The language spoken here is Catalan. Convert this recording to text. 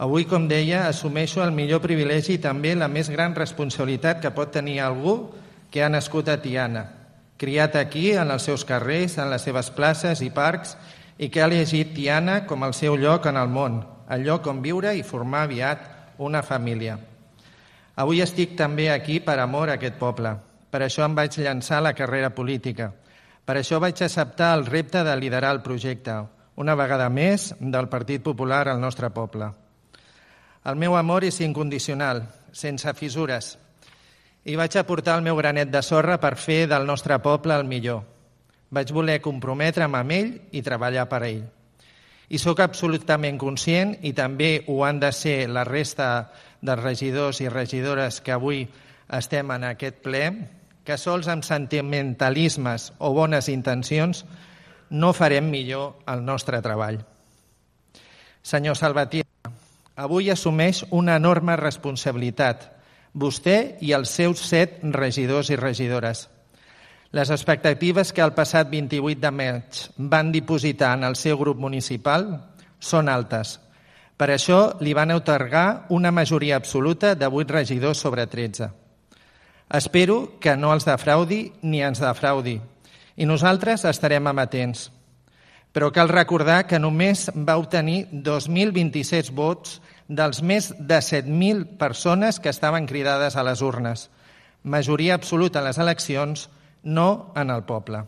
Avui, com deia, assumeixo el millor privilegi i també la més gran responsabilitat que pot tenir algú que ha nascut a Tiana, criat aquí, en els seus carrers, en les seves places i parcs, i que ha elegit Tiana com el seu lloc en el món, el lloc on viure i formar aviat una família. Avui estic també aquí per amor a aquest poble. Per això em vaig llançar a la carrera política. Per això vaig acceptar el repte de liderar el projecte, una vegada més, del Partit Popular al nostre poble. El meu amor és incondicional, sense fissures, i vaig aportar el meu granet de sorra per fer del nostre poble el millor. Vaig voler comprometre'm amb ell i treballar per a ell. I sóc absolutament conscient, i també ho han de ser la resta dels regidors i regidores que avui estem en aquest ple, que sols amb sentimentalismes o bones intencions no farem millor el nostre treball. Senyor Salvatierra, avui assumeix una enorme responsabilitat, vostè i els seus 7 regidors i regidores. Les expectatives que el passat 28 de maig van dipositar en el seu grup municipal són altes. Per això li van atorgar una majoria absoluta de 8 regidors sobre 13. Espero que no els defraudi ni ens defraudi, i nosaltres estarem amatents. Però cal recordar que només va obtenir 2.026 vots dels més de 7.000 persones que estaven cridades a les urnes. Majoria absoluta en les eleccions, no en el poble.